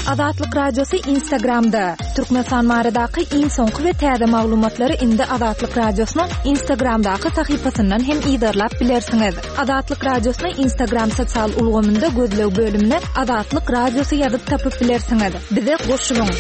Azatlyk Radiosy Instagramda! Türkmenistan baradaky iň soňky we täze maglumatlary indi Azatlyk Radiosynyň Instagramdaky sahypasyndan hem yzarlap bilersiňiz. Azatlyk Radiosyny Instagram sosial ulgamynda gözleg bölümine Azatlyk Radiosy ýazyp tapyp bilersiňiz. Bize goşulyň!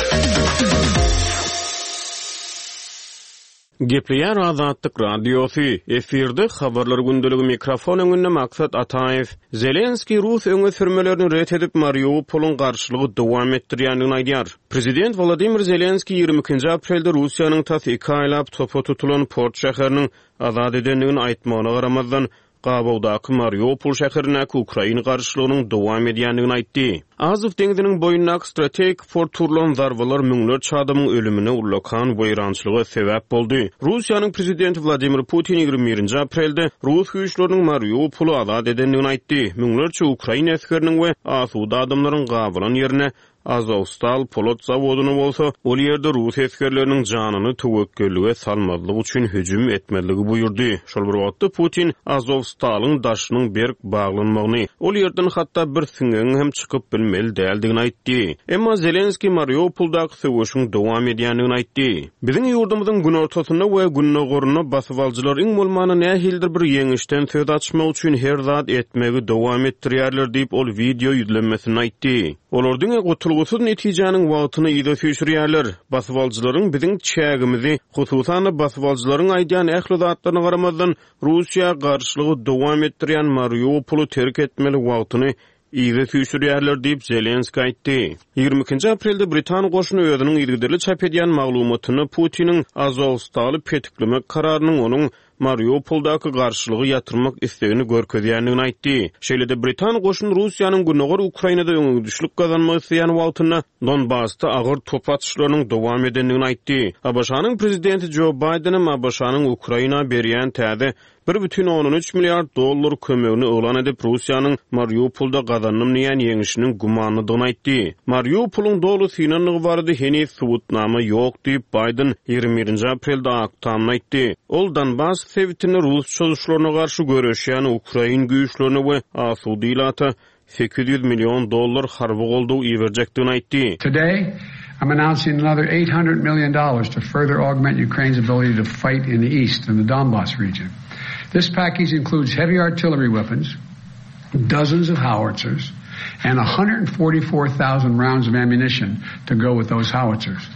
Gepleýär Azatlyk Radiosy, efirde Habarlar gündeligi mikrofon öňünde Maksat Ataýew. Zelenskiý rus öňe sürmelerini ret edip, Mariupolyň garşylygy dowam etdirýändigini aýdýar. Prezident Wladimir Zelenskiý 22-nji aprelde Russiýanyň tas iki aýlap topa tutulan port şäheriniň azat edendigini aýtmagyna garamazdan, gabawdaky Mariupol şäherindäki ukrain garşylygynyň dowam edýändigini aýtdy. Azow deňziniň boýundaky strategik porta urlan zarbalar müňlerçe adamyň ölümine, ullakan weýrançylyga sebäp boldy. Russiýanyň prezidenti Wladimir Putin 21-nji aprelde rus güýçleriniň Mariupoly azat edendigini aýtdy. Müňlerçe ukrain esgeriniň we asuda adamlaryň gabalan ýerine Azowstal polat zawodyna bolsa, ol ýerde rus esgerleriniň janyny töwekgellige salmazlyk üçin hüjüm etmezligi buýurdy. Şol bir wagtda Putin Azowstalyň daşynyň berk baglanmagyny, ol ýerden hatda bir siňegiň hem çykyp bilmeli däldigini aýtdy. Emma Zelenskiý Mariupoldaky söweşiň dowam edýändigini aýtdy. Biziň ýurdumyzyň günortasynda we gündogarynda basybalyjylar iň bolmanda nähilidir bir ýeňişden söz açmak üçin her zat etmegi dowam etdirýärler diýip, ol wideo ýüzlenmesinde aýtdy. Olar diňe gutulgysyz netijäniň wagtyny yza süýşürýärler. Basybalyjylaryň biziň çägimizi, hususan-da basybalyjylaryň aýdýan ähli zatlaryna garamazdan, Russiýa garşylygy dowam etdirýän Mariupoly terk etmeli wagtyny yza süýşürýärler diýip, Zelenskiý aýtdy. 22-nji aprelde britan goşuny özüniň yzygiderli çap edýän maglumatynda Putiniň Azowstaly petiklemek kararynyň onuň Mariupoldaky garşylygy ýatyrmak islegini görkezýändigini aýtdy. Şeýle-de britan goşuny Russiýanyň gündogar Ukrainada öňegidişlik gazanmak isleýän wagtynda Donbasda agyr top atyşlarynyň dowam edendigini aýtdy. ABŞ-nyň prezidenti Jo Baýdenem ABŞ-nyň Ukraina berýän täze 1,3 milliard dollar kömegini yglan edip, Russiýanyň Mariupolda gazandym diýýän ýeňşiniň gümanlydygyny aýtdy. Mariupolyň doly synandygy barada heniz subutnama ýok diýip, Baýden 21-nji aprelde Ak Tamda aýtdy. Ol Donbas sebitinde rus çozuşlaryna garşy göreşýän ukrain güýçlerine we asuda ilata 800 million dollar harby goldaw iberjekdigini aýtdy. Today, I'm announcing another 800 million dollars to further augment Ukraine's ability to fight in the east, in the Donbas region. This package includes heavy artillery weapons, dozens of howitzers, and 144,000 rounds of ammunition to go with those howitzers.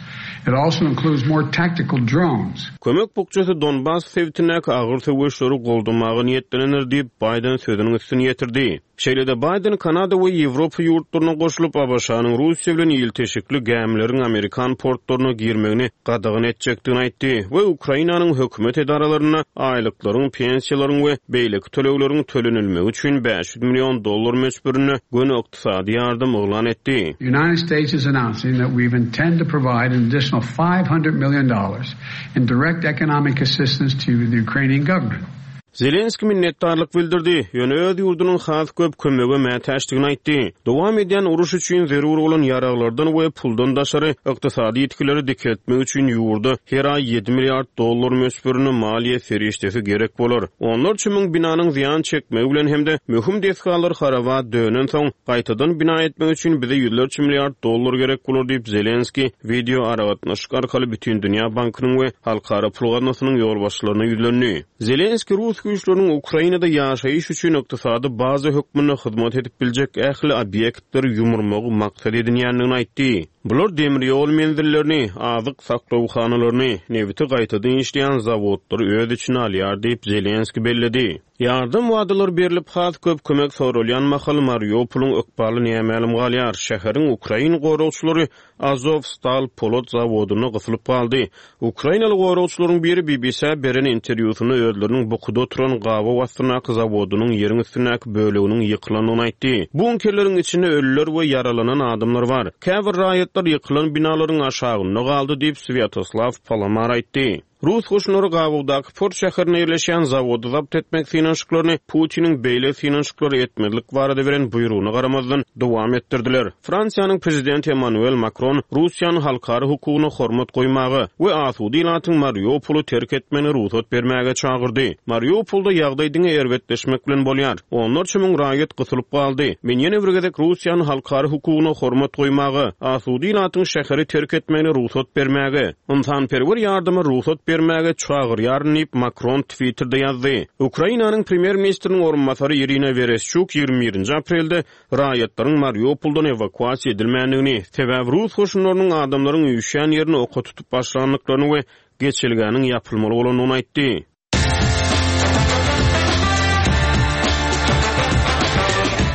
It also includes more tactical drones. Kömek bukjasy Donbas sebitindäki agyr söweşleri goldamaga niýetlenendir diýip, Baýden sözüniň üstüni ýetirdi. Şeýle-de Baýden Kanada we Ýewropa ýurtlaryna goşulyp, ABŞ-nyň Russiýa bilen ilteşikli gämileriň amerikan portlaryna girmegini gadagan etjekdigini aýtdy we Ukrainanyň hökümet edaralarynda aýlyklaryň, pensiýalaryň we beýleki tölegleriň tölenilmegi üçin 500 million dollar möçberinde göni ykdysady ýardam yglan etdi. United States is announcing that we intend to provide an additional 500 million dollars in direct economic assistance to the Ukrainian government. Zelenskiý minnetdarlyk bildirdi, ýöne öz ýurdunyň has köp kömege mätäçdigini aýtdy. Dowam edýän uruş üçin zerur bolan ýaraglardan we puldan daşary, ykdysady ýitgileri dikeltmek üçin ýurda her aý ýedi milliard dollar möçberinde maliýe serişdesi gerek bolar. Onlarça müň binanyň zyýan çekmegi bilen hem-de möhüm desgalar haraba dönensoň, gaýtadan bina etmek üçin bize ýüzlerçe milliard dollar gerek bolar diýip, Zelenskiý wideo aragatnaşyk arkaly Bütindünýä bankynyň we Halkara pul gaznasynyň ýolbaşçylaryna ýüzlendi. Zelenskiý rus güýçleriniň Ukrainada ýaşaýyş üçin ykdysady baza hökmünde hyzmat edip biljek ähli obýektleri ýumurmagy maksat edinýändigini aýtdy. Bular demir ýol menzillerini, azyk saklawhanalaryny, nebiti gaýtadan işleýän zawodlary öz içine alýar diýip, Zelenskiý belledi. Ýardam wadalary berlip, has köp kömek soralýan mahaly Mariupolyň ykbaly nämälim galýar. Şäheriň ukrain goragçylary Azowstal polat zawodynda gysylyp galdy. Ukrainaly goragçylaryň biri BBC-ä beren interwýusynda özleriniň bukuda oturan gabaw astyndaky zawodynyň ýeriň üstündäki böleginiň ýykylandygyny aýtdy. Bunkerleriň içinde ölüler we ýaralanan adamlar bar. Käbir raýatlar ýykylan binalaryň aşagynda galdy diýip, Swýatoslaw Palamar aýtdy. Rus goşunlary gabawdaky port şäherinde ýerleşýän zawody zabt etmek synanyşyklaryny Putiniň beýle synanyşyklary etmezlik barada beren buýrugyna garamazdan, dowam etdirdiler. Fransiýanyň prezidenti Emmanuel Makron Russiýany halkara hukugyna hormat goýmaga we asuda ilatyň Mariupoly terk etmegine rugsat bermäge çagyrdy. Mariupolda ýagdaý diňe erbetleşmek bilen bolýar. Onlarça müň raýat gysylyp galdy. Men ýene bir gezek Russiýany halkara hukugyna hormat goýmaga, asuda ilatyň şäheri terk etmegine rugsat bermäge, ynsanperwer ýardyma rugsat bermäge çagyrýaryn diýip, Makron Twitterde ýazdy. Ukrainanyň premýer-ministriniň orunbasary Irina Wereşçuk 21-nji aprelde raýatlaryň Mariupoldan ewakuasiýa edilmändigini, sebäbi rus goşunlarynyň adamlaryň üýşýän ýerini oka tutup başlandyklaryny we geçelgäniň ýapylmaly bolandygyny aýtdy.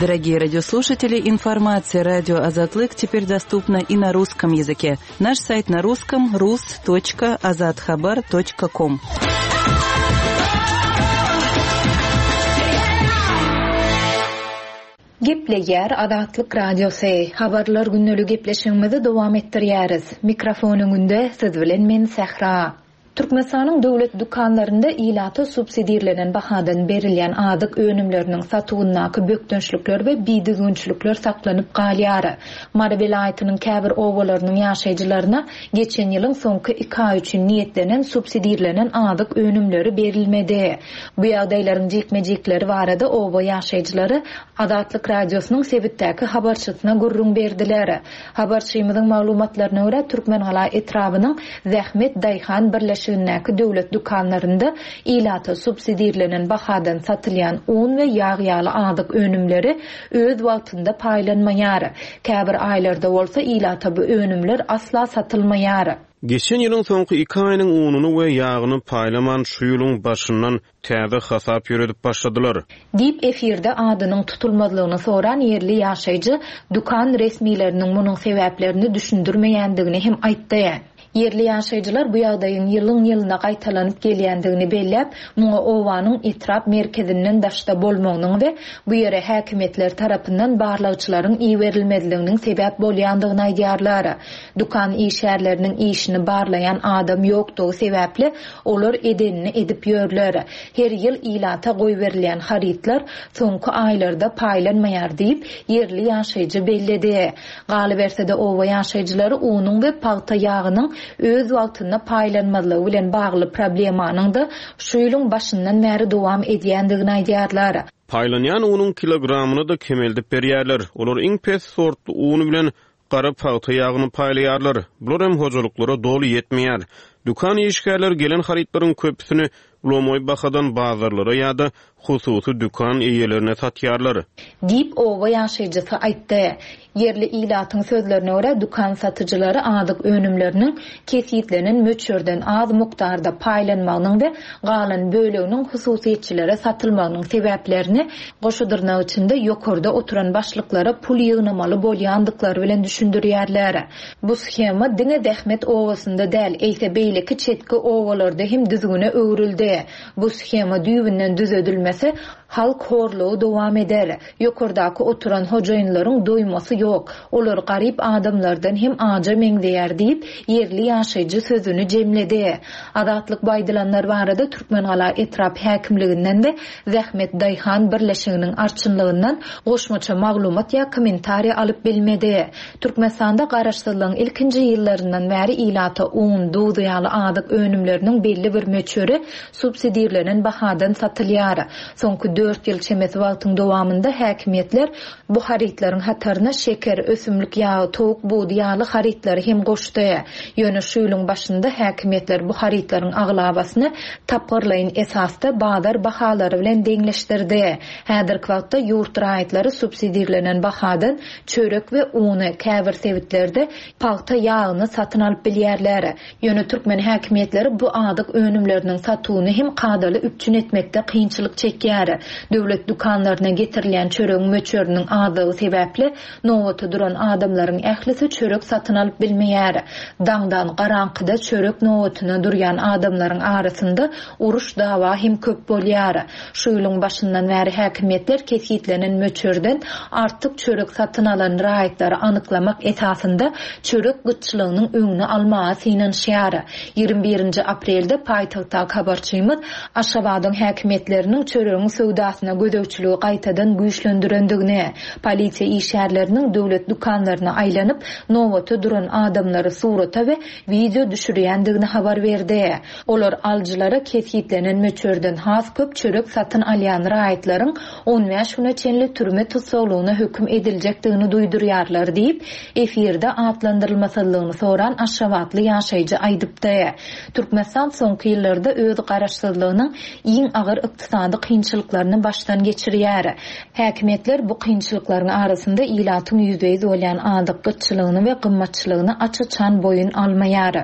Дорогие радиослушатели, информация радио Азатлык теперь доступна и на русском языке. Наш сайт на русском rus.azathabar.com. Gepleýär Azatlyk Radiosy, Habarlar gündeligi gepleşigimizi dowam etdirýäris. Mikrofon öňünde siz bilen men Sähra. Türkmenistanyň döwlet dükanlarynda ilata subsidirlenen bahadan berilýän azyk önümleriniň satuwyndaky bökdençlikler we bidüzgünçilikler saklanyp galýar. Mary welaýatynyň käbir obalarynyň ýaşaýjylaryna geçen ýylyň soňky iki aýy üçin niýetlenen subsidirlenen azyk önümleri berilmedi. Bu ýagdaýlaryň jikme-jikleri barada oba ýaşaýjylary Azatlyk Radiosynyň sebitdäki habarçysyna gürrüň berdiler. Habarçymyzyň maglumatlaryna görä, Türkmengala etrabynyň Zähmet daýhan birleşigindäki döwlet dükanlarynda ilata subsidirlenen bahadan satylýan un we ýag ýaly azyk önümleri öz wagtynda paýlanmaýar. Käbir aýlarda bolsa ilata bu önümler asla satylmaýar. Geçen ýylyň soňky iki aýynyň ununy we ýagyny paýlaman, şu ýylyň başyndan täze hasap ýöredip başladylar. Diýip, efirde adynyň tutulmazlygyny soran ýerli ýaşaýjy dükan resmileriniň munuň sebäplerini düşündirmeýändigini hem aýtdy. Ýerli ýaşaýjylar bu ýagdaýyň ýylyň-ýylyna gaýtalanyp gelýändigini belläp, muňa obanyň etrap merkezinden daşda bolmagynyň we bu ýere häkimiýetler tarapyndan barlagçylaryň iberilmezliginiň sebäp bolýandygyny aýdýarlar. Dükan işgärleriniň işini barlaýan adam ýokdugy sebäpli, olar edenini edip ýörler. Her ýyl ilata goýberilýän harytlar soňky aýlarda paýlanmaýar diýip, ýerli ýaşaýjy belledi. Galyberse-de, oba ýaşaýjylary unuň we pagta ýagynyň öz wagtynda paýlanmazlygy bilen bagly problemanyň-da şu ýylyň başyndan bäri dowam edýändigini aýdýarlar. Paýlanýan unuň kilogramyny-da kemeldip berýärler. Olar iň pes sortly un bilen gara pagta ýagyny paýlaýarlar. Bular hem hojalyklara doly ýetmeýär. Dükan işgärleri gelen harytlaryň köpüsini lomaý bahadan bazarlara ýa-da hususy dükan eýelerine satýarlar. Diýip, oba ýaşaýjysy aýtdy. Ýerli ilatyň sözlerine görä, dükan satyjylary azyk önümleriniň kesgitlenen möçberden az mukdarda paýlanmagynyň we galan böleginiň hususyýetçilere satylmagynyň sebäplerini goşa dyrnak içinde ýokarda oturan başlyklara pul ýygnamaly bolýandyklary bilen düşündirýärler. Bu shema diňe Zähmet obasynda däl, eýse beýleki çetki obalarda hem düzgüne öwrüldi. Bu shema düýbünden düzedilmese, Halk horlugy dowam eder. Ýokardaky oturan hojaýynlaryň doýmasy ýok. Olar garyp adamlardan hem aja meňzeýär diýip, ýerli ýaşaýjy sözüni jemledi. Azatlyk bu aýdylanlar barada Türkmengala etrap häkimliginden we Zähmet daýhan birleşiginiň arçynlygyndan goşmaça maglumat ýa kommentariý alyp bilmedi. Türkmenistanda garaşsyzlygyň ilkinji ýyllaryndan bäri ilata un, duz ýaly azyk önümleriniň belli bir möçberi subsidirlenen bahadan satylýar. Soňky dört ýyl çemesi wagtyň dowamynda häkimiýetler bu harytlaryň hataryna şeker, ösümlik ýagy, towuk budy ýaly harytlary hem goşdy. Ýöne şu ýylyň başynda häkimiýetler bu harytlaryň aglabasyny tapgyrlaýyn esasda bazar bahalary bilen deňleşdirdi. Häzirki wagtda ýurt raýatlary subsidirlenen bahadan çörek we uny, käbir sebitlerde pagta ýagyny satyn alyp bilýärler. Ýöne türkmen häkimiýetleri bu azyk önümleriniň satuwyny hem kadaly üpjün etmekde kynçylyk çekýär. Döwlet dükanlaryna getirilýän çöregiň möçberiniň azlygy sebäpli, nobata duran adamlaryň ählisi çörek satyn alyp bilmeýär. Daňdan garaňkyda çörek nobatyna durýan adamlaryň arasynda uruş-dawa hem köp bolýar. Şu ýylyň başyndan bäri häkimiýetler kesgitlenen möçberden artyk çörek satyn alan raýatlary anyklamak esasynda çörek gytçylygynyň öňüni almaga synanyşýar. 21 nji aprelde paýtagtdaky habarçymyz Aşgabadyň häkimiýetleriniň çöregiň söwdasyna gözegçiligi gaýtadan güýçlendirendigini, polisiýa işgärleriniň döwlet dükanlaryna aýlanyp, nobata duran adamlary surata we wideo düşürýändigini habar berdi. Olar alyjylara kesgitlenen möçberden has köp çörek satyn alýan raýatlaryň 15 güne çenli türme tussaglygyna höküm ediljekdigini duýdurýarlar diýip, efirde atlandyrylmasyzlygyny soran aşgabatly ýaşaýjy aýdypdy. Türkmenistan soňky ýyllarda öz garaşsyzlygynyň iň agyr ykdysady kynçylyklaryny başdan geçirýär. Häkimiýetler bu kynçylyklaryň arasynda ilatyň ýüzbe-ýüz bolýan azyk gytçylygyny we gymmatçylygyny aç-açan boýun almaýar.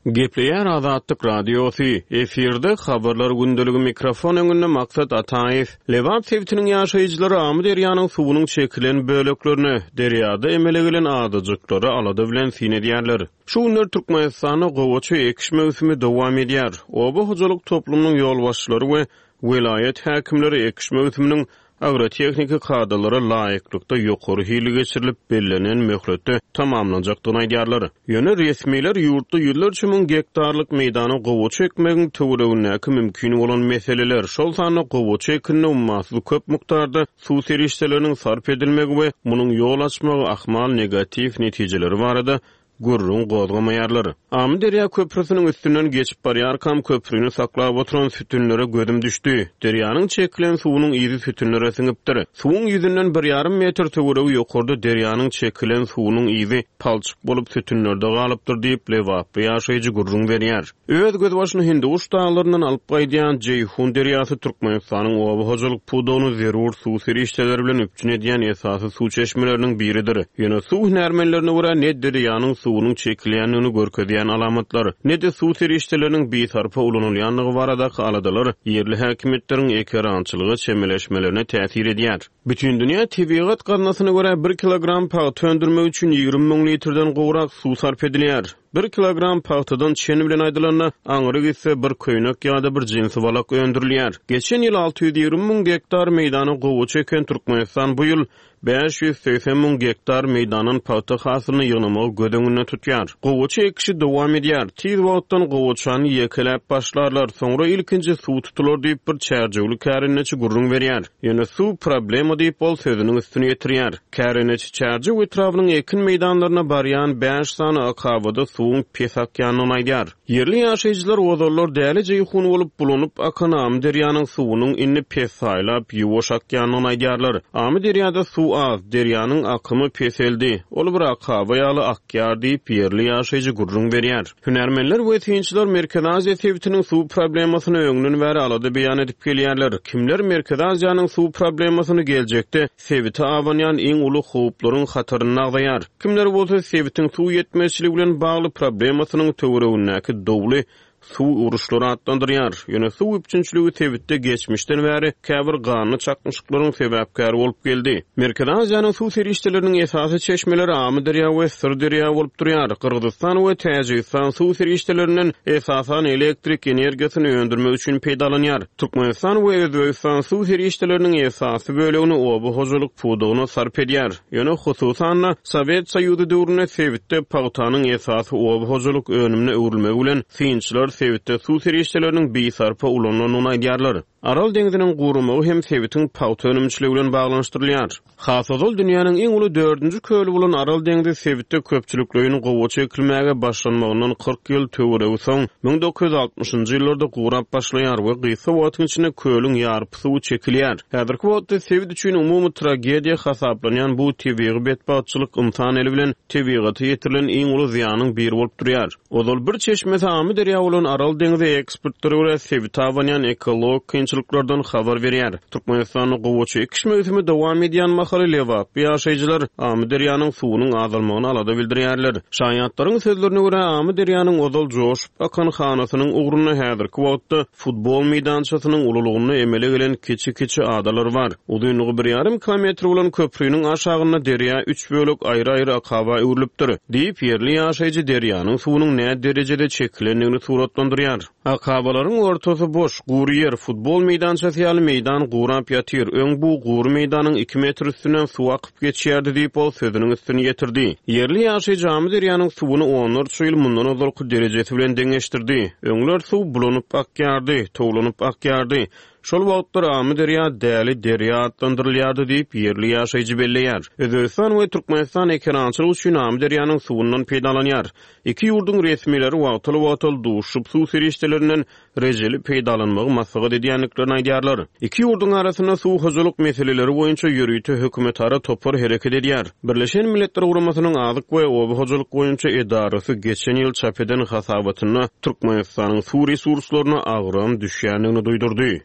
Gepleýär Azatlyk Radiosy, efirde Habarlar gündeligi mikrofon öňünde Maksat Ataýew. Lebap sebitiniň ýaşaýjylary Amyderýanyň suwunyň çekilen böleklerine, derýada emele gelen adajyklara alada bilen syn edýärler. Şu günler Türkmenistanda gowaça ekiş möwsümi dowam edýär. Oba hojalyk toplumynyň ýolbaşçylary we welaýat häkimleri ekiş möwsüminiň agrotehniki kadalara laýyklykda ýokary hilli geçirilip, bellenen möhletde tamamlanjakdygyny aýdýarlar. Ýöne resmiler ýurtda ýüzlerçe müň gektarlyk meýdana gowaça ekmegiň töweregindäki mümkin bolan meseleler, şol sanda gowaça ekinine ummasyz köp mukdarda suw serişdeleriniň sarp edilmegi we munuň ýol açmagy ahmal negatiw netijeleri barada gürrüň gozgamaýarlar. Amyderýa köprüsiniň üstünden geçip barýarkam köprüni saklap oturan sütünlere gözüm düşdi. Derýanyň çekilen suwunyň yzy sütünlere siňipdir. Suwuň ýüzünden bir ýarym metr töweregi ýokarda derýanyň çekilen suwunyň yzy palçyk bolup sütünlerde galypdyr diýip, lebaply ýaşaýjy gürrüň berýär. Öz gözbaşyny Hindiguş daglaryndan alyp gaýdýan Jeýhun derýasy Türkmenistanyň oba hojalyk pudagyny zerur suw serişdeleri bilen üpjün edýän esasy suw çeşmeleriniň biridir. Ýöne suw hünärmenlerine görä, ne derýanyň suwunyň çekilýändigini görkezýän alamatlar, ne-de suw serişdeleriniň bisarpa ulanylýandygy baradaky aladalar ýerli häkimiýetleriň ekerançylyga çemeleşmelerine täsir edýär. Bütindünýä tebigat gaznasyna görä, bir kilogram pagta öndürmek üçin 20 müň litrden gowrak suw sarp edilýär. Bir kilogram pagtadan çen bilen aýdylanda, aňry gitse bir köýnek ýa-da bir jinsi balak öndürilýär. Geçen ýyl 620 müň gektar meýdana gowaça eken Türkmenistan bu ýyl 580 müň gektar meýdandan pagta hasylyny ýygnamagy göz öňünde tutýar. Gowaça ekişi dowam edýär. Tiz wagtdan gowaçany ýekeläp başlarlar, soňra ilkinji suw tutular diýip, bir çärjewli kärendeçi gürrüň berýär. Ýöne suw problema diýip, ol sözüniň üstüni ýetirýär. Kärendeçi Çärjew etrabynyň ekin meýdanlaryna barýan bäş sany akabada suwuň pes akýandygyny aýdýar. Ýerli ýaşaýjylar ozallar däli Jeýhun bolup bulanyp akan Amyderýanyň suwunyň indi pessaýlap, ýuwaş akýandygyny aýdýarlar. Amyderýada suw az, derýanyň akymy peseldi, ol bir akaba ýaly akýar diýip, ýerli ýaşaýjy gürrüň berýär. Hünärmenler we synçylar Merkezi Aziýa sebitiniň suw problemasyny öňden bäri alada beýan edip gelýärler. Kimler Merkezi Aziýanyň suw problemasyny geljekde sebite abanýan iň uly howplaryň hatarynda agzaýar. Kimler bolsa sebitiň suw ýetmezçiligi bilen bagly problemasynyň töweregindäki dowly suw uruşlary atlandyrýar. Ýöne suw üpjünçiligi sebitde geçmişden bäri käbir ganly çaknyşyklaryň sebäpkäri bolup geldi. Merkezi Aziýanyň suw serişdeleriniň esasy çeşmeleri Amyderýa we Syrderýa bolup durýar. Gyrgyzystan we Täjigistan suw serişdelerinden esasan elektrik energiýasyny öndürmek üçin peýdalanýar. Türkmenistan we Özbegistan suw serişdeleriniň esasy bölegini oba hojalyk pudagyna sarp edýär. Ýöne, hususan-da, Sowet Soýuzy döwründe sebitde pagtanyň esasy oba hojalyk önümine öwrülmegi bilen, synçylar sebitde suw serişdeleriniň bisarpa ulanylandygyny aýdýarlar. Aral deňziniň guramagy hem sebitiň pagta önümçiligi bilen baglanyşdyrylýar. Has ozal dünýäniň iň uly dördünji köli bolan Aral deňzi sebitde köpçülikleýin gowaça ekilmäge başlanmagyndan 40 ýyl töweregi soň, 1960-njy ýyllarda gurap başlaýar we gysga wagtyň içinde kölüň ýarpy suwy çekilýär. Häzirki wagtda sebit üçin umumy tragediýa hasaplanýan bu tebigy betbagtçylyk ynsan eli bilen tebigata ýetirilen iň uly zyýanyň biri bolup durýar. Ozal bir çeşmesi Amyderýa bolan Aral deňzi ekspertlere görä sebite abanýan ekologik kynçylyklar. kynçylyklardan habar berýär. Türkmenistanda gowaça ekiş möwsümi dowam edýän mahaly lebaply ýaşaýjylar Amyderýanyň suwunyň azalmagyna alada bildirýärler. Şaýatlaryň sözlerine görä, Amyderýanyň ozal joşup akan hanasynyň ugrunda häzirki wagtda futbol meýdançasynyň ululygynda emele gelen kiçi-kiçi adalar bar. Uzynlygy bir ýarym kilometr bolan köpriniň aşagynda derýa üç bölek aýry-aýry akaba öwrülipdir, diýip, ýerli ýaşaýjy derýanyň suwunyň näderejede çekilendigini suratlandyrýar. Akabalaryň ortasy boş, gury ýer, futbol meýdançasy ýaly meýdan gurap ýatyr. Öň bu gury meýdanyň iki metr üstünden suw akyp geçýärdi diýip, ol sözüniň üstüni ýetirdi. Ýerli ýaşaýjy Amyderýanyň suwuny onlarça ýyl mundan ozalky derejesi bilen deňeşdirdi. Öňler suw bulanyp akýardy, towlanyp akýardy. Şol wagtlar Amyderýa Däli derýa atlandyrylýardy diýip, ýerli ýaşaýjy belleýär. Özbegistan we Türkmenistan ekerançylyk üçin Amyderýanyň suwundan peýdalanýar. Iki ýurduň resmileri wagtal-wagtal duşup, suw serişdelerinden rejeli peýdalanmagy maslahat edýändiklerini aýdýarlar. Iki ýurduň arasynda suw hojalyk meseleleri boýunça ýörite hökümetara topar hereket edýär. Birleşen Milletler Guramasynyň Azyk we oba hojalyk boýunça edarasy geçen ýyl çap eden hasabatynda Türkmenistanyň suw resurslaryna agram düşýändigini duýdurdy.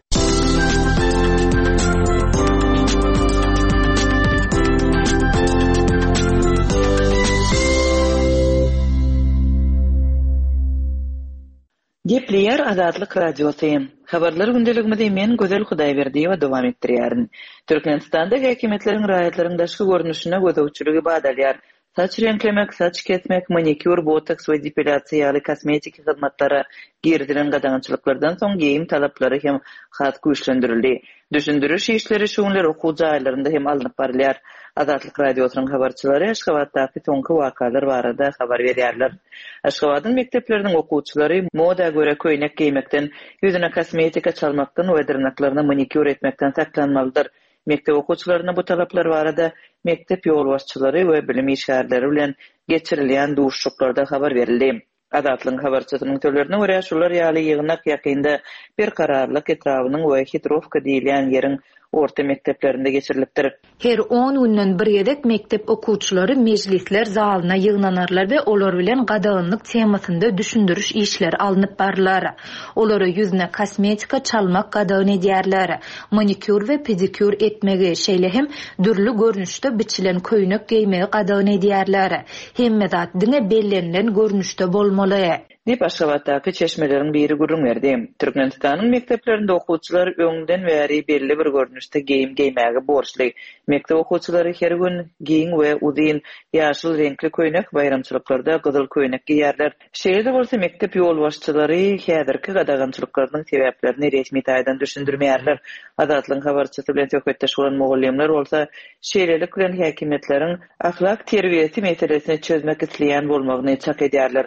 Gepleýär Azatlyk Radiosy. Habarlar gündeligimizi men Gözel Hudaýberdiýewa dowam etdirýärin. Türkmenistanda häkimiýetleriň raýatlaryň daşky görnüşine gözegçiligi bat alýar. Saç reňklemek, saç kesmek, manikýur, botoks we depilýasiýa ýaly kosmetiki hyzmatlara girizilen gadagançylyklardan soň geýim talaplary hem has güýçlendirildi. Düşündiriş işleri şu günler okuw jaýlarynda hem alnyp barylýar. Azatlyk Radiosynyň habarçylary Aşgabatdaky soňky wakalar barada habar berýärler. Aşgabadyň mekdepleriniň okuwçylary moda görä köýnek geýmekden, ýüzüne kosmetika çalmakdan we dyrnaklaryna manikýur etmekden saklanmalydyr. Mekdep okuwçylaryna bu talaplar barada mekdep ýolbaşçylary we bilim işgärleri bilen geçirilýän duşuşyklarda habar berildi. Azatlygyň habarçysynyň sözlerine görä, şular ýaly ýygnak ýakynda Berkararlyk etrabynyň we Hitrowka diýilýän ýeriň orta mekdeplerinde geçirilipdir. Her on günden bir gezek mekdep okuwçylary mejlisler zalyna ýygnanarlar we olar bilen gadaganlyk temasynda düşündiriş işleri alnyp barylar. Olara ýüzüne kosmetika çalmak gadagan edýärler. Manikýur we pedikýur etmegi, şeýle hem dürli görnüşde biçilen köýnek geýmegi gadagan edýärler. Hemme zat diňe bellenilen görnüşde bolmaly. Diýip, Aşgabatdaky çeşmeleriň biri gürrüň berdi. Türkmenistanyň mekdeplerinde okuwçylar öňden bäri belli bir görnüşde geýim geýmäge borçly. Mekdep okuwçylary her gün giň we uzyn ýaşyl reňkli köýnek, baýramçylyklarda gyzyl köýnek geýýärler. Şeýle-de bolsa, mekdep ýolbaşçylary häzirki gadagançylyklarynyň sebäplerini resmi taýdan düşündirmeýärler. Azatlygyň habarçysy bilen söhbetdeş bolan mugallymlar bolsa, şeýlelik bilen häkimiýetleriň ahlak terbiýesi meselesini çözmek isleýän bolmagyny çak edýärler.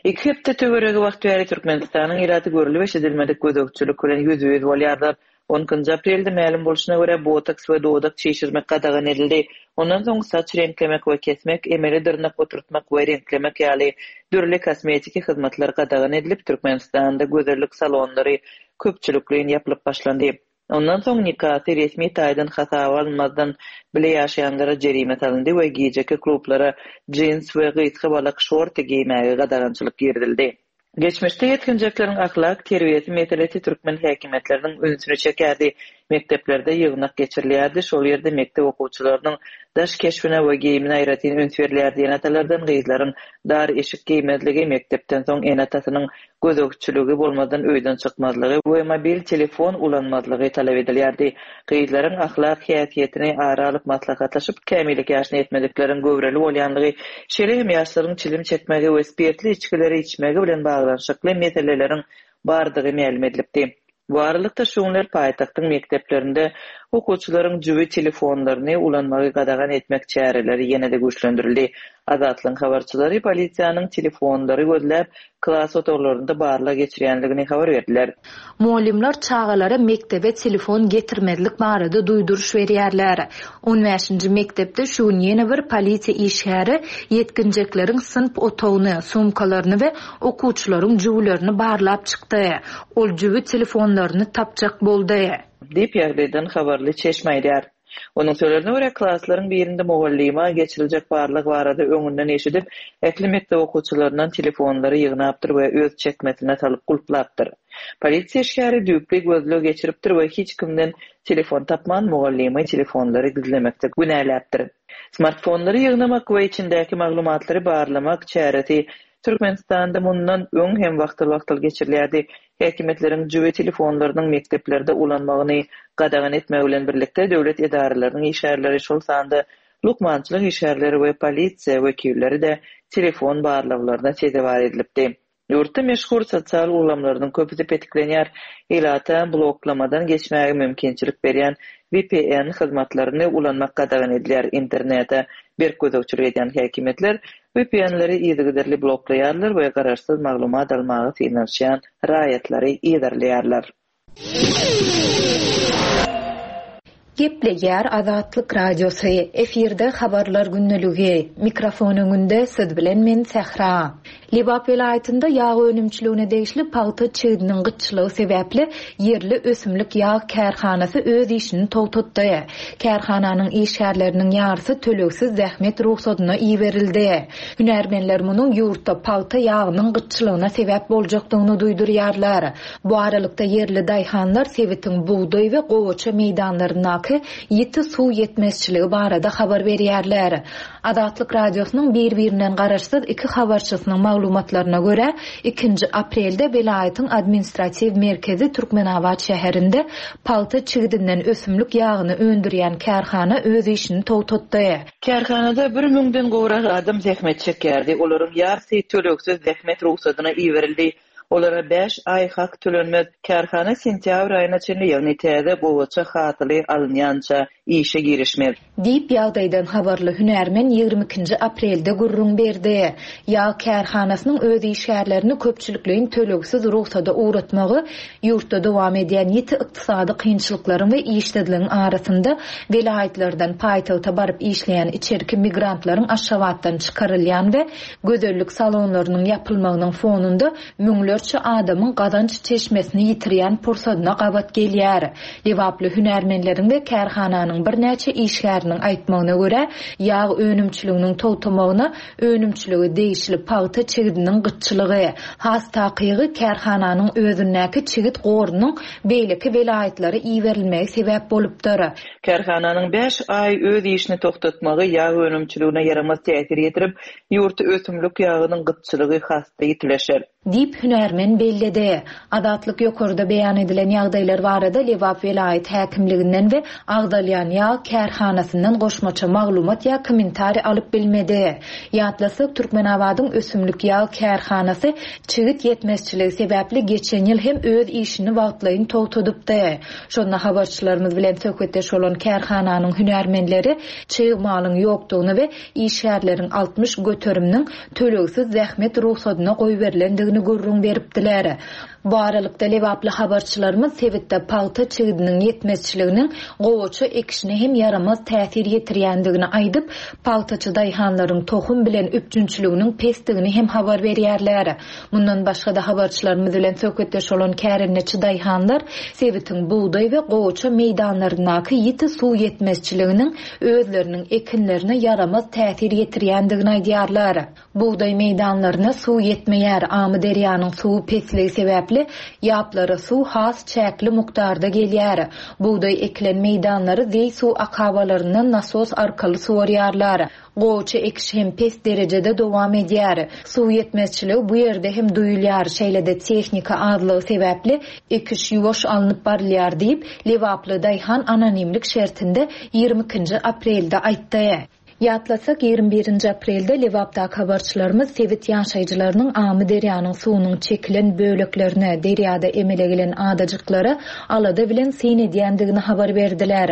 Iki hepde töweregi wagt bäri Türkmenistanyň ilaty görlüp-eşidilmedik gözegçilik bilen ýüzbe-ýüz bolýarlar. On ikinji aprelde mälim bolşuna görä, botoks we dodak çişirmek gadagan edildi. Ondan soň saç reňklemek we kesmek, emeli dyrnak oturtmak we reňklemek ýaly dürli kosmetiki hyzmatlar gadagan edilip, Türkmenistanda gözellik salonlary köpçülikleýin ýapylyp başlandy. Ondan soň nikasy resmi taýdan hasaba alynmazdan bile ýaşaýanlara jerime salyndy we gijeki klublara jins we gysga balak şorty geýmäge gadagançylyk girizildi. Geçmişde ýetginjekleriň ahlak terbiýesi meselesi türkmen häkimiýetleriniň ünsüni çekerdi. Mekdeplerde ýygnak geçirilýärdi, şol ýerde mekdep okuwçylarynyň daş keşbine we geýimine aýratyn üns berilýärdi. Ene-atalardan gyzlaryň dar eşik geýmezligi, mekdepden soň ene-atasynyň gözegçiligi bolmazdan öýden çykmazlygy we mobil telefon ulanmazlygy talap edilýärdi. Gyzlaryň ahlak häsiýetini ara alyp maslahatlaşyp, kämillik ýaşyna ýetmedikleriň göwreli bolýanlygy, şeýle hem ýaşlaryň çilim çekmegi we spirtli içgileri içmegi bilen baglanyşykly meseleleriň bardygy mälim edilipdi. Bu aralykda, şu günler paýtagtyň mekdeplerinde okuwçylaryň jübi telefonlaryny ulanmagy gadagan etmek çäreleri ýene-de güýçlendirildi. Azatlygyň habarçylary polisiýanyň telefonlary gözläp, klas otaglarynda barlag geçirýändigini habar berdiler. Mugallymlar çagalara mekdebe telefon getirmezlik barada duýduryş berýärler. On bäşinji mekdepde şu gün ýene bir polisiýa işgäri ýetginjekleriň synp otagyny, sumkalaryny we okuwçylaryň jübülerini barlap çykdy. Ol jübi telefonlaryny tapjak boldy. Diýip, ýagdaýdan habarly çeşme aýdýar. Onuň sözlerine görä, klaslaryň birinde mugallyma geçiriljek barlag barada öňünden eşidip, ähli mekdep okuwçylaryndan telefonlary ýygnapdyr we öz çekmesine salyp gulplapdyr. Polisiýa işgäri düýpli gözleg geçiripdir we hiç kimden telefon tapman, mugallymy telefonlary gizlemekde günäläpdir. Smartfonlary ýygnamak we içindäki maglumatlary barlamak çäresi Türkmenistanda mundan öň hem wagtal-wagtal geçirilýärdi. Häkimiýetleriň jübi telefonlarynyň mekdeplerde ulanmagyny gadagan etmegi bilen birlikde, döwlet edaralarynyň işgärleri, şol sanda lukmançylyk işgärleri we polisiýa wekilleri-de telefon barlaglaryna sezewar edilipdi. Ýurtda meşhur sosial ulgamlarynyň köpüsi petiklenýär. Ilata bloklamadan geçmäge mümkinçilik berýän vpn hyzmatlaryny ulanmak gadagan edilýär. Internete berk gözegçilik edýän häkimiýetler VPN-leri yzygiderli bloklaýarlar we garaşsyz maglumat almaga synanyşýan raýatlary yzarlaýarlar. Gepleýär Azatlyk Radiosy, efirde Habarlar gündeligi, mikrofon öňünde siz bilen men Sähra. Lebap welaýatynda ýag önümçiligine degişli pagta çigidiniň gytçylygy sebäpli ýerli ösümlik ýag kärhanasy öz işini togtatdy. Kärhananyň işgärleriniň ýarysy tölegsiz zähmet rugsadyna iberildi. Hünärmenler munuň ýurtda pagta ýagynyň gytçylygyna sebäp boljakdygyny duýdurýarlar. Bu aralykda, ýerli daýhanlar sebitiň bugdaý we gowaça meýdanlaryndaky ýiti suw ýetmezçiligi barada habar berýärler. Azatlyk Radiosynyň bir-birinden garaşsyz iki habarçysynyň maglumatlaryna görä, ikinji aprelde welaýatyň administratiw merkezi Türkmenabat şäherinde pagta çigidinden ösümlik ýagyny öndürýän kärhana öz işini togtatdy. Kärhanada bir müňden gowrak adam zähmet çekýärdi, olaryň ýarysy tölegsiz zähmet rugsadyna iberildi. Olara bäş aý hak tölenmez. Kärhana sentýabr aýyna çenli, ýagny täze gowaça hasyly alynýança işe girişmez. Diýip, ýagdaýdan habarly hünärmen 22 nji aprelde gürrüň berdi. Ýag kärhanasynyň öz işgärlerini köpçülikleýin tölegsiz rugsada ugratmagy ýurtda dowam edýän ýiti ykdysady kynçylyklaryň we işsizligiň arasynda welaýatlardan paýtagta baryp işleýän içerki migrantlaryň Aşgabatdan çykarylýan we Gözellik salonlarynyň ýapylmagynyň fonunda müňlerçe adamyň gazanç çeşmesini ýitirýän pursadyna gabat gelýär. Lebaply hünärmenleriň we kärhananyň birnäçe işgäriniň aýtmagyna görä, ýag önümçiliginiň togtamagyna önümçilige degişli pagta çigidiniň gytçylygy, has takygy, kärhananyň özündäki çigit gorunyň beýleki welaýatlara iberilmegi sebäp bolupdyr. Kärhananyň bäş aý öz işini togtatmagy ýag önümçiligine ýaramaz täsir ýetirip, ýurtda ösümlik ýagynyň gytçylygy has-da ýitileşer. Diýip, hünärmen belledi. Azatlyk ýokarda beýan edilen ýagdaýlar barada Lebap welaýat häkimliginden we agzalýan ýag kärhanasyndan goşmaça maglumat ýa kommentariý alyp bilmedi. Ýatlasak, Türkmenabadyň ösümlik ýag kärhanasy çigit ýetmezçiligi sebäpli geçen ýyl hem öz işini wagtlaýyn togtadypdy. Şonda habarçylarymyz bilen söhbetdeş bolan kärhananyň hünärmenleri çig malyň ýokdugyny we işgärleriň 60 göteriminiň tölegsiz zähmet rugsadyna goýberilendigini gürrüň beripdiler. Bu aralykda, lebaply habarçylarymyz sebitde pagta çigidiniň ýetmezçiliginiň gowaça ekişine hem ýaramaz täsir ýetirýändigini aýdyp, pagtaçy daýhanlaryň tohum bilen üpjünçiliginiň pesdigini hem habar berýärler. Mundan başga-da habarçylarymyz bilen söhbetdeş bolan kärendeçi daýhanlar sebitiň bugdaý we gowaça meýdanlaryndaky ýiti suw ýetmezçiliginiň özleriniň ekinlerine ýaramaz täsir ýetirýändigini aýdýarlar. Bugdaý meýdanlaryna suw ýetmeýär, Amyderýanyň suwy pesligi sebäpli ýaplara suw has çäkli mukdarda gelýär. Bugdaý ekilen meýdanlary zeý suw akabalaryndan nasos arkaly suwarýarlar. Gowaça ekişi hem pes derejede dowam edýär. Suw ýetmezçiligi bu ýerde hem duýulýar, şeýle-de tehnika azlygy sebäpli ekiş ýuwaş alnyp barylýar diýip, lebaply daýhan anonimlik şertinde 22 nji aprelde aýtdy. Ýatlasak, 21 nji aprelde Lebapdaky habarçylarymyz sebit ýaşaýjylarynyň Amyderýanyň suwunyň çekilen böleklerine, derýada emele gelen adajyklara alada bilen syn edýändigini habar berdiler.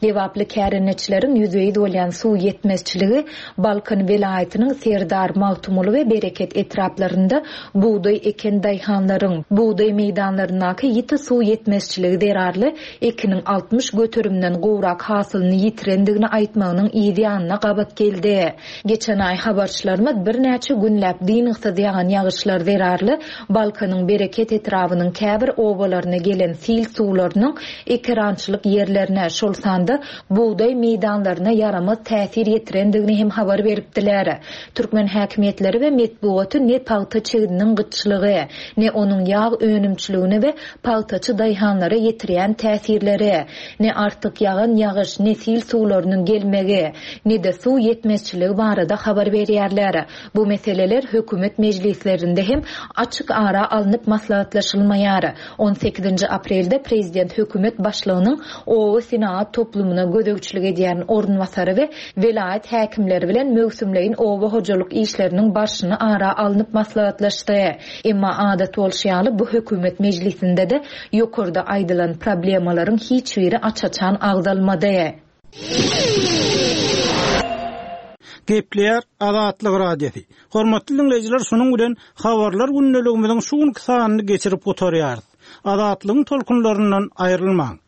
Lebaply kärendeçileriň ýüzbe-ýüz bolýan suw ýetmezçiligi Balkan welaýatynyň Serdar, Magtymguly we Bereket etraplarynda bugdaý eken daýhanlaryň, bugdaý meýdanlaryndaky ýiti suw ýetmezçiligi zerarly ekiniň 60 göterimden gowrak hasylyny ýitirendigini aýtmagynyň yz ýanyna. gabat geldi. Geçen aý habarçylarymyz birnäçe günläp dyngysyz ýagan ýagyşlar zerarly Balkanyň Bereket etrabynyň käbir obalaryna gelen sil suwlarynyň ekerançylyk ýerlerine, şol sanda bugdaý meýdanlaryna ýaramaz täsir ýetirendigini hem habar beripdiler. Türkmen häkimiýetleri we metbugaty ne pagta çigidiniň gytçylygy, ne onuň ýag önümçiligine we pagtaçy daýhanlara ýetirýän täsirleri, ne artyk ýagan ýagyş, ne sil suwlarynyň gelmegi, ne-de suw ýetmezçiligi barada habar berýärler. Bu meseleler hökümet mejlislerinde hem açyk ara alnyp maslahatlaşylmaýar. On sekizinji aprelde prezident hökümet başlygynyň oba senagat toplumyna gözegçilik edýän orunbasary we welaýat häkimleri bilen möwsümleýin oba hojalyk işleriniň barşyny ara alnyp maslahatlaşdy. Emma adat bolşy ýaly bu hökümet mejlisinde-de ýokarda aýdylan problemalaryň hiç biri aç-açan agzalmady. Gepleýär Azatlyk Radiosy. Hormatly diňleýjiler, şunuň bilen Habarlar gündeligimiziň şu günki sanyny geçirip gutarýarys. Azatlygyň tolkunlaryndan aýrylmaň!